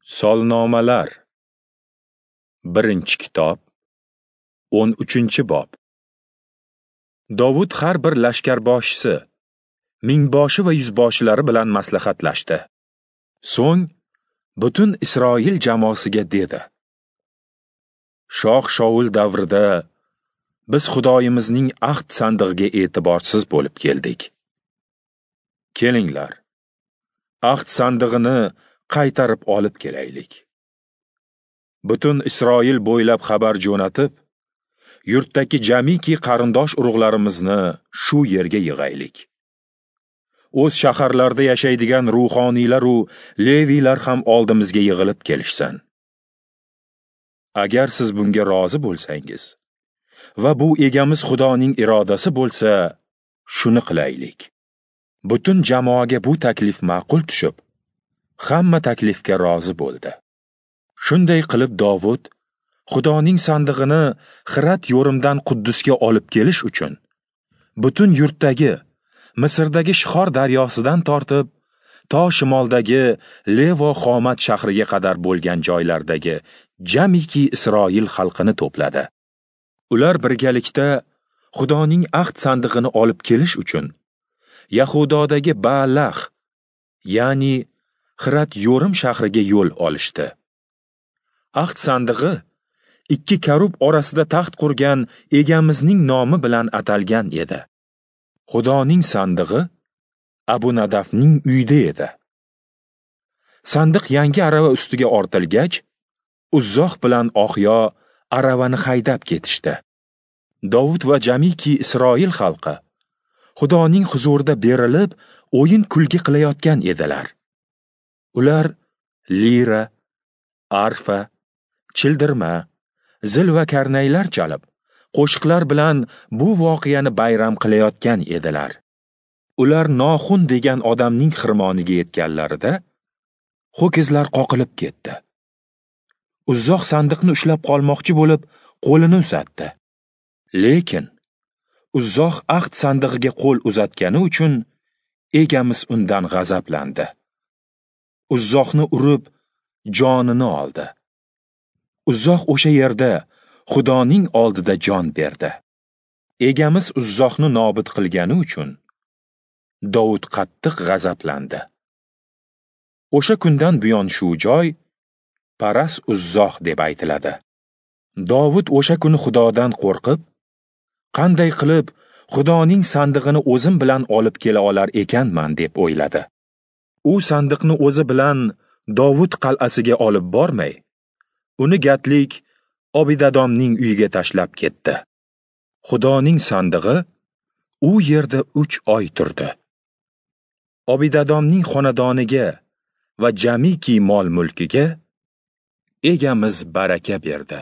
Solnomalar. 1-kitob, 13-bob. Dovud har bir lashkarboshisi, mingboshi va yuzboshilari bilan maslahatlashdi. So'ng butun Isroil jamoasiga dedi: Shoh Shaul davrida biz Xudoyimizning ahd sandig'iga e'tiborsiz bo'lib keldik. Kelinglar, ahd sandig'ini qaytarib olib kelaylik. Butun Isroil bo'ylab xabar jo'natib, yurtdagi jamiki qarindosh urug'larimizni shu yerga yig'aylik. O'z shaharlarda yashaydigan ruhoniylar u leviylar ham oldimizga yig'ilib kelishsin. Agar siz bunga rozi bo'lsangiz va bu egamiz Xudoning irodasi bo'lsa, shuni qilaylik. Butun jamoaga bu taklif ma'qul tushib, hamma taklifga rozi bo'ldi. Shunday qilib Dovud Xudoning sandig'ini Xirat yo'rimdan Quddusga olib kelish uchun butun yurtdagi Misrdagi Shixor daryosidan tortib to shimoldagi Levo Xomat shahriga qadar bo'lgan joylardagi jamiki Isroil xalqini to'pladi. Ular birgalikda Xudoning ahd sandig'ini olib kelish uchun Yahudodagi Baalah, ya'ni Xirat Yo'rim shahriga yo'l olishdi. Ahd sandig'i ikki karub orasida taxt qurgan egamizning nomi bilan atalgan edi. Xudoning sandig'i Abunadafning uyida edi. Sandiq yangi arava ustiga ortilgach, Uzzoh bilan Oxyo aravani haydab ketishdi. Dovud va jamiki Isroil xalqi Xudoning huzurida berilib, o'yin kulgi qilayotgan edilar. Ular lira, arfa, childirma, zil va karnaylar chalib, qo'shiqlar bilan bu voqeani bayram qilayotgan edilar. Ular Noxun degan odamning xirmoniga yetganlarida ho'kizlar qoqilib ketdi. Uzzoh sandiqni ushlab qolmoqchi bo'lib, qo'lini uzatdi. Lekin Uzzoh ahd sandig'iga qo'l uzatgani uchun egamiz undan g'azablandi. Uzzohni urib, jonini oldi. Uzzoh o'sha yerda Xudoning oldida jon berdi. Egamiz Uzzohni nobud qilgani uchun Dovud qattiq g'azablandi. O'sha kundan buyon shu joy Paras Uzzoh deb aytiladi. Dovud o'sha kuni Xudodan qo'rqib, qanday qilib Xudoning sandig'ini o'zim bilan olib kela olar ekanman deb o'yladi. U sandiqni o'zi bilan Dovud qal'asiga olib bormay, uni gatlik Obidadomning uyiga tashlab ketdi. Xudoning sandig'i u yerda 3 oy turdi. Obidadomning xonadoniga va jamiki mol-mulkiga egamiz baraka berdi.